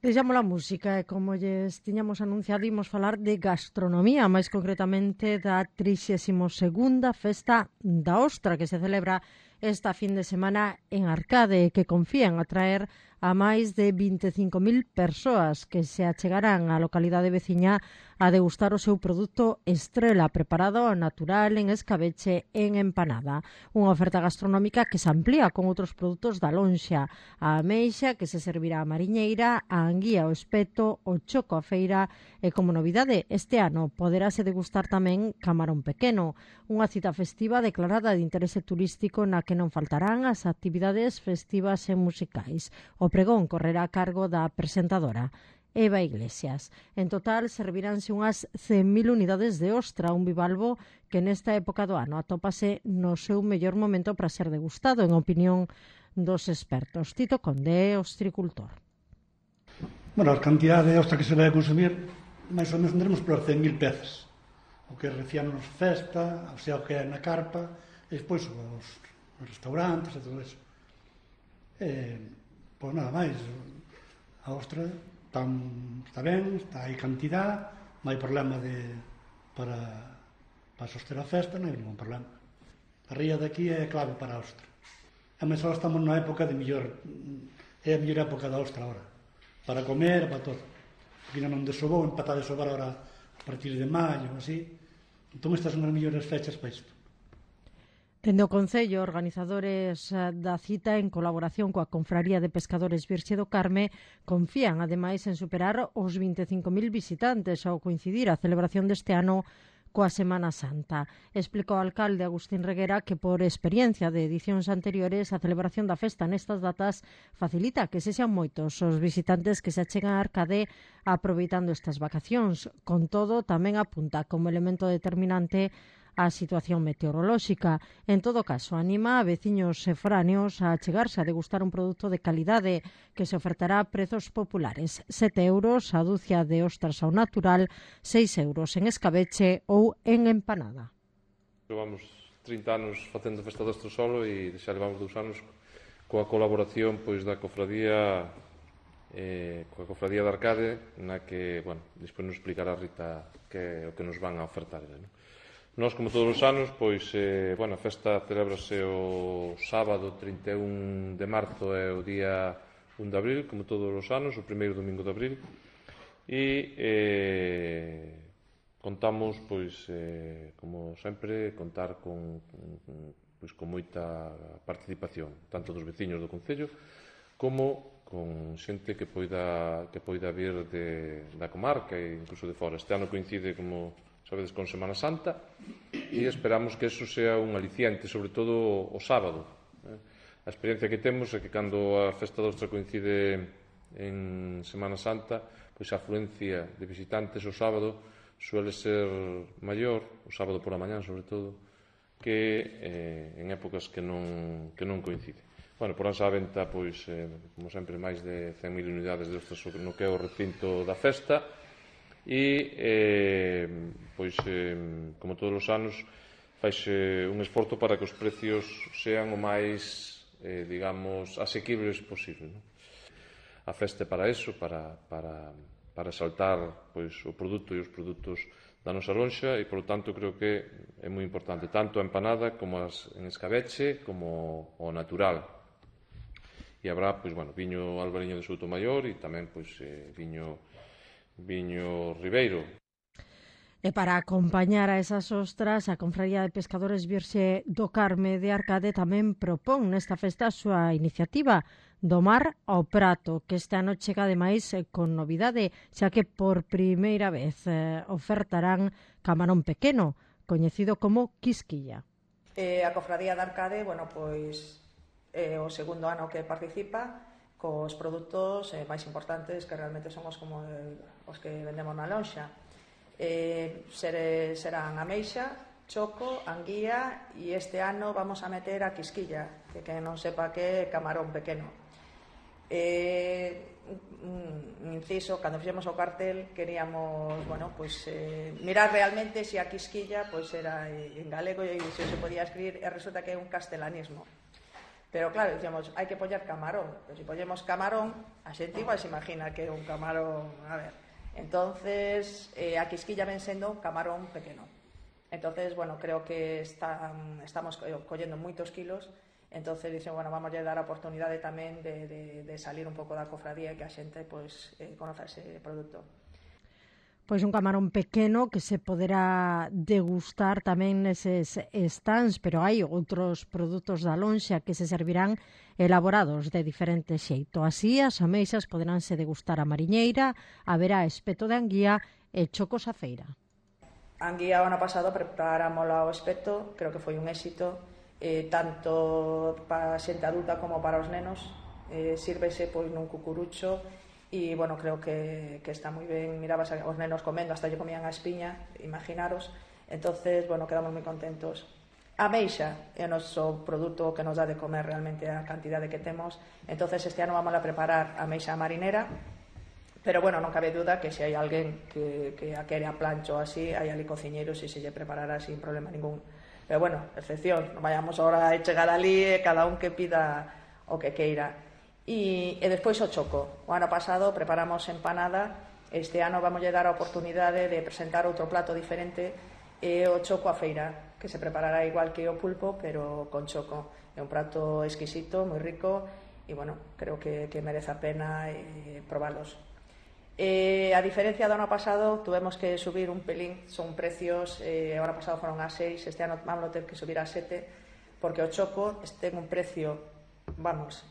Deixamos a música e, como lles tiñamos anunciado, imos falar de gastronomía, máis concretamente da 32ª Festa da Ostra, que se celebra esta fin de semana en Arcade e que confían atraer a máis de 25.000 persoas que se achegarán á localidade veciña a degustar o seu produto estrela preparado ao natural en escabeche en empanada. Unha oferta gastronómica que se amplía con outros produtos da lonxa, a ameixa que se servirá a mariñeira, a anguía, o espeto, o choco a feira e, como novidade, este ano poderase degustar tamén camarón pequeno, unha cita festiva declarada de interese turístico na que non faltarán as actividades festivas e musicais. O pregón correrá a cargo da presentadora Eva Iglesias. En total, serviránse unhas 100.000 unidades de ostra, un bivalvo que nesta época do ano atópase no seu mellor momento para ser degustado, en opinión dos expertos. Tito Conde, ostricultor. Bueno, a cantidade de ostra que se vai a consumir, máis ou menos andaremos por 100.000 pezas. O que recianos festa, o sea, o que é na carpa, e despois os restaurantes e todo eso. Pois nada máis, a ostra está ben, está aí cantidad, non hai problema para soster a festa, non hai ningún problema. A ría de aquí é clave para a ostra. E máis agora estamos na época de mellor, é a mellor época da ostra agora, para comer, para todo. Aquí non desobou, empata a desobar agora a partir de maio, así. Entón estas son as mellores fechas para isto. Dende o Concello, organizadores da cita en colaboración coa Confraría de Pescadores Virxe do Carme confían, ademais, en superar os 25.000 visitantes ao coincidir a celebración deste ano coa Semana Santa. Explicou o alcalde Agustín Reguera que, por experiencia de edicións anteriores, a celebración da festa nestas datas facilita que sexan moitos os visitantes que se achegan a Arcade aproveitando estas vacacións. Con todo, tamén apunta como elemento determinante a situación meteorolóxica. En todo caso, anima a veciños e foráneos a achegarse a degustar un produto de calidade que se ofertará a prezos populares. 7 euros a dúcia de ostras ao natural, 6 euros en escabeche ou en empanada. Levamos 30 anos facendo festa do Estrosolo e xa levamos 2 anos coa colaboración pois da cofradía coa cofradía de Arcade, na que, bueno, despois nos explicará Rita que é o que nos van a ofertar, non? Nós, como todos os anos, pois, a festa celebrase o sábado 31 de marzo e o día 1 de abril, como todos os anos, o primeiro domingo de abril. E contamos, pois, como sempre, contar con moita participación, tanto dos veciños do Concello, como con xente que poida vir da comarca e incluso de fora. Este ano coincide, como sabedes, con Semana Santa, e esperamos que eso sea un aliciente, sobre todo o sábado. A experiencia que temos é que cando a festa da Ostra coincide en Semana Santa, pois a afluencia de visitantes o sábado suele ser maior, o sábado por a mañán sobre todo, que en épocas que non coincide. Bueno, poránse á venta, pois, como sempre, máis de 100.000 unidades de ostras no que é o recinto da festa, e, como todos os anos, faise un esforzo para que os precios sean o máis, asequibles posible. A festa é para eso, para exaltar o produto e os produtos da nosa lonxa e, polo tanto, creo que é moi importante tanto a empanada como en escabeche como o natural. E habrá, viño albariño de Soutomaior e tamén, viño ribeiro. E para acompañar a esas ostras, a Confraría de Pescadores Virxe do Carme de Arcade tamén propón nesta festa a súa iniciativa do mar ao prato, que este ano chega ademais con novidade, xa que por primeira vez ofertarán camarón pequeno, coñecido como quisquilla. A Cofradía de Arcade, é o segundo ano que participa cos produtos máis importantes que realmente son os que vendemos na lonxa. Serán ameixa, choco, anguía e este ano vamos a meter a quisquilla, que quen non sepa que é camarón pequeno. Inciso, cando fixemos o cartel queríamos mirar realmente se a quisquilla era en galego e se podía escribir, e resulta que é un castelanismo. Pero claro, dicíamos, hai que poñer camarón. Pero se poñemos camarón, a xente igual se imagina que é un camarón, a ver. Entonces, a quisquilla ven sendo camarón pequeno. Entonces, bueno, creo que estamos collendo moitos kilos. Entonces, dicen, bueno, vamos a dar a oportunidade tamén de salir un pouco da cofradía e que a xente, pois, conoza ese produto. Pois un camarón pequeno que se poderá degustar tamén neses stands, pero hai outros produtos da lonxa que se servirán elaborados de diferente xeito. Así, as ameixas poderánse degustar a mariñeira, haberá espeto de anguía e chocos a feira. A anguía o ano pasado preparámola ao espeto, creo que foi un éxito, tanto para a xente adulta como para os nenos. Sírvese pois nun cucurucho. E, bueno, creo que está moi ben. Mirabas os nenos comendo, hasta lle comían a espiña, imaginaros. Entonces, bueno, quedamos moi contentos. A ameixa é o noso produto que nos dá de comer realmente a cantidade que temos. Entonces, este ano vamos a preparar a ameixa marinera, pero, bueno, non cabe duda que se hai alguén que a quere a plancho ou así, hai ali cociñeiros e se lle preparará sin problema ningún. Pero, bueno, excepción, non vayamos ahora a chegar ali e cada un que pida o que queira. E despois o choco. O ano pasado preparamos empanada, este ano vamos a dar a oportunidade de presentar outro plato diferente, o choco a feira, que se preparará igual que o pulpo, pero con choco. É un prato exquisito, moi rico, e, bueno, creo que merece a pena probalos. A diferencia do ano pasado, tuvemos que subir un pelín, son precios, o ano pasado foron a 6, este ano vamos a ter que subir a 7, porque o choco ten un precio, vamos,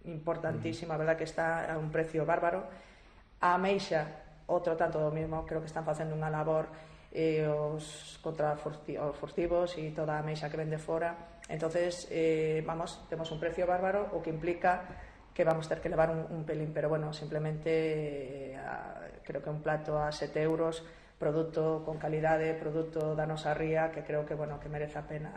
importantísimo, a verdad que está a un precio bárbaro. A ameixa, outro tanto do mismo, creo que están facendo unha labor contra os furtivos e toda a ameixa que vende fora. Entonces, vamos, temos un precio bárbaro, o que implica que vamos ter que levar un pelín, pero, bueno, simplemente creo que un plato a 7 euros, produto con calidade, produto da nosa ría, que creo que, bueno, que merece a pena.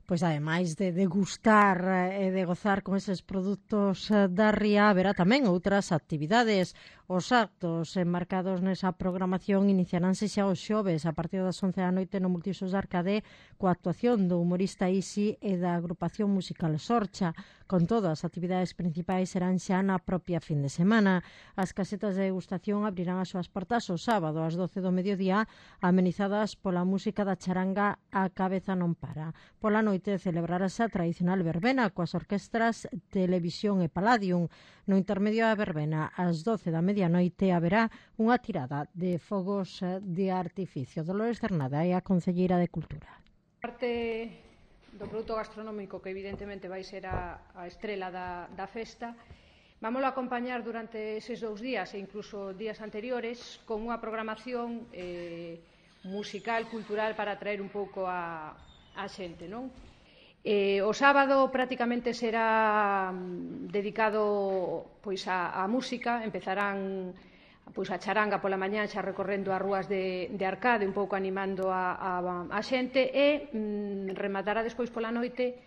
Pois ademais de degustar e de gozar con eses produtos da ría, haberá tamén outras actividades. Os actos enmarcados nesa programación iniciaránse xa os xoves a partir das 11 da noite no Multiusos de Arcade coa actuación do humorista Isi e da agrupación musical Sorcha. Con todo, as actividades principais serán xa na propia fin de semana. As casetas de degustación abrirán as súas portas o sábado ás 12 do mediodía, amenizadas pola música da charanga A Cabeza Non Para. Pola noite celebrarase a tradicional verbena coas orquestras Televisión e Palladium. No intermedio da verbena, ás 12 da medianoite, haberá unha tirada de fogos de artificio. Dolores Cernada é a concelleira de Cultura. Parte do produto gastronómico, que evidentemente vai ser a estrela da festa, vamos a acompañar durante eses 2 días e incluso días anteriores con unha programación musical, cultural, para atraer un pouco a xente, non? O sábado prácticamente será dedicado pois á música. Empezarán pois a charanga pola mañá xa recorrendo as rúas de Arcade, un pouco animando a xente, e rematará despois pola noite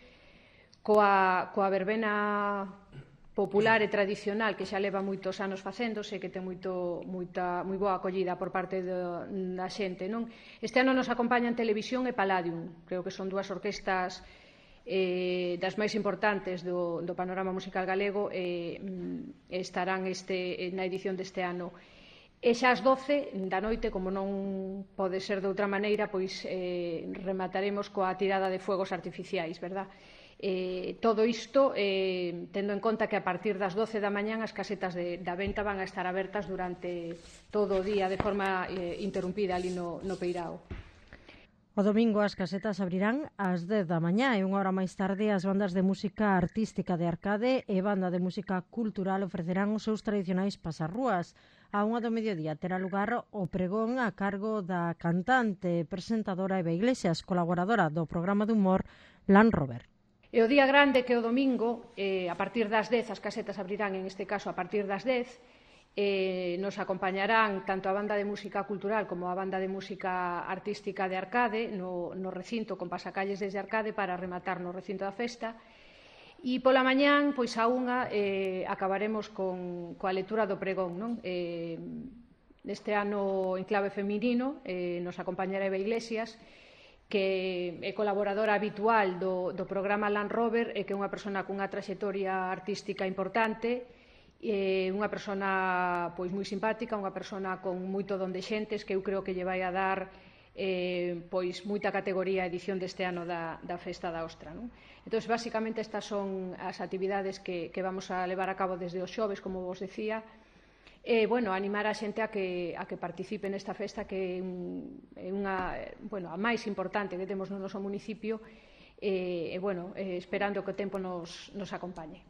coa verbena popular e tradicional que xa leva moitos anos facéndose, que ten moi boa acollida por parte da xente, non? Este ano nos acompañan Televisión e Palladium, creo que son 2 orquestas das máis importantes do panorama musical galego, estarán na edición deste ano. E xa ás 12 da noite, como non pode ser de outra maneira, pois remataremos coa tirada de fuegos artificiais, verdad? Todo isto tendo en conta que a partir das 12 da mañán as casetas da venta van a estar abertas durante todo o día de forma interrumpida ali no Peirao. O domingo as casetas abrirán ás 10 da mañá e unha hora máis tarde as bandas de música artística de Arcade e banda de música cultural ofrecerán os seus tradicionais pasarrúas. A 1 do mediodía terá lugar o pregón a cargo da cantante, presentadora Eva Iglesias, colaboradora do programa de humor Land Rover. E o día grande, que é o domingo, a partir das 10, as casetas abrirán, en este caso, a partir das 10, nos acompañarán tanto a banda de música cultural como a banda de música artística de Arcade no recinto, con pasacalles desde Arcade para rematar no recinto da festa. E pola mañán, pois a 1, acabaremos coa lectura do pregón, non? Este ano en clave feminino nos acompañará Eva Iglesias, que é colaboradora habitual do programa Land Rover e que é unha persona cunha traxectoria artística importante, unha persona pois moi simpática, unha persona con moito don de xentes que eu creo que lle vai a dar pois moita categoría a edición deste ano da Festa da Ostra, non? Entón, basicamente, estas son as actividades que vamos a levar a cabo desde os xoves, como vos decía, bueno, animar a xente a que participe nesta festa que é a máis importante que temos no noso municipio esperando que o tempo nos acompañe.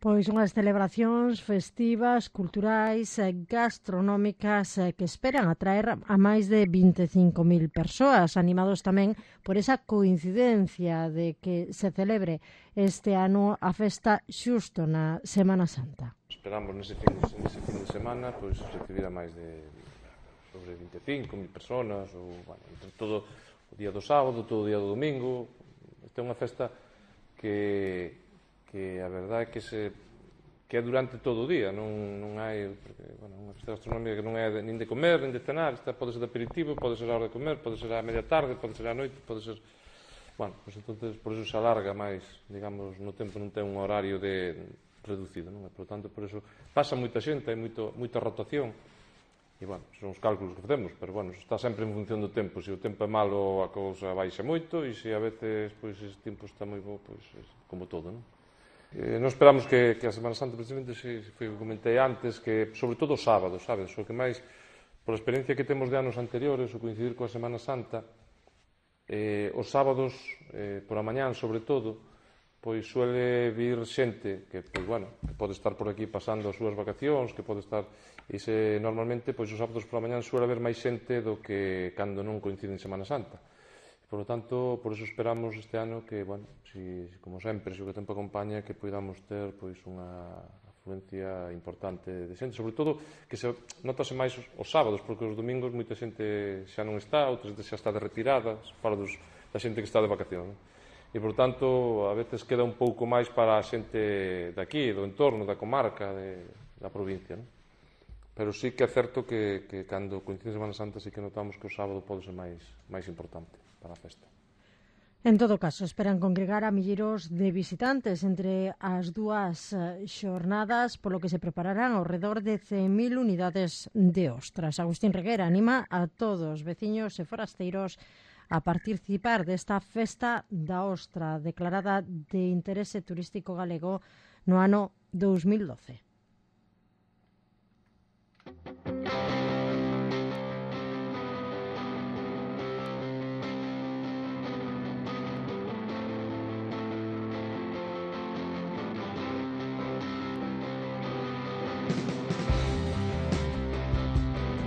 Pois unhas celebracións festivas, culturais, gastronómicas que esperan atraer a máis de 25.000 persoas, animados tamén por esa coincidencia de que se celebre este ano a festa xusto na Semana Santa. Esperamos nese fin de semana pois recibir a máis de sobre 25.000 personas ou, bueno, entre todo o día do sábado, todo o día do domingo. Esta é unha festa que a verdade é que é durante todo o día, non hai, porque, bueno, unha festa gastronómica que non é nin de comer, nin de cenar, esta pode ser de aperitivo, pode ser a hora de comer, pode ser a media tarde, pode ser a noite, pode ser, bueno, pues entonces por eso se alarga máis, digamos, no tempo non ten un horario reducido, non? E, por tanto, por eso pasa moita xente, hai moita rotación, e, bueno, son os cálculos que facemos, pero, bueno, está sempre en función do tempo. Se o tempo é malo, a cousa baixa moito, e se a veces, pois, ese tempo está moi bo, pois, como todo, non? Non esperamos que a Semana Santa, precisamente, foi o que comentei antes, que sobre todo os sábados, sabes? O que máis, por a experiencia que temos de anos anteriores, o coincidir coa Semana Santa, os sábados, por a mañán, sobre todo, pois suele vir xente que, pois, bueno, que pode estar por aquí pasando as súas vacacións, que pode estar, e normalmente, pois, os sábados por a mañán suele haber máis xente do que cando non coincide en Semana Santa. Por lo tanto, por eso esperamos este ano que, bueno, como sempre, se o tempo acompaña, que poidamos ter pois unha afluencia importante de xente, sobre todo que se notase máis os sábados, porque os domingos moita xente xa non está, outra xente xa está de retirada, fora da xente que está de vacación. E, por tanto, a veces queda un pouco máis para a xente daqui, do entorno, da comarca, da provincia, non? Pero sí que é certo que cando coincide a Semana Santa sí que notamos que o sábado pode ser máis importante para a festa. En todo caso, esperan congregar a milleiros de visitantes entre as dúas xornadas, polo que se prepararán ao redor de 100.000 unidades de ostras. Agustín Reguera anima a todos, veciños e forasteiros, a participar desta festa da ostra declarada de interese turístico galego no ano 2012.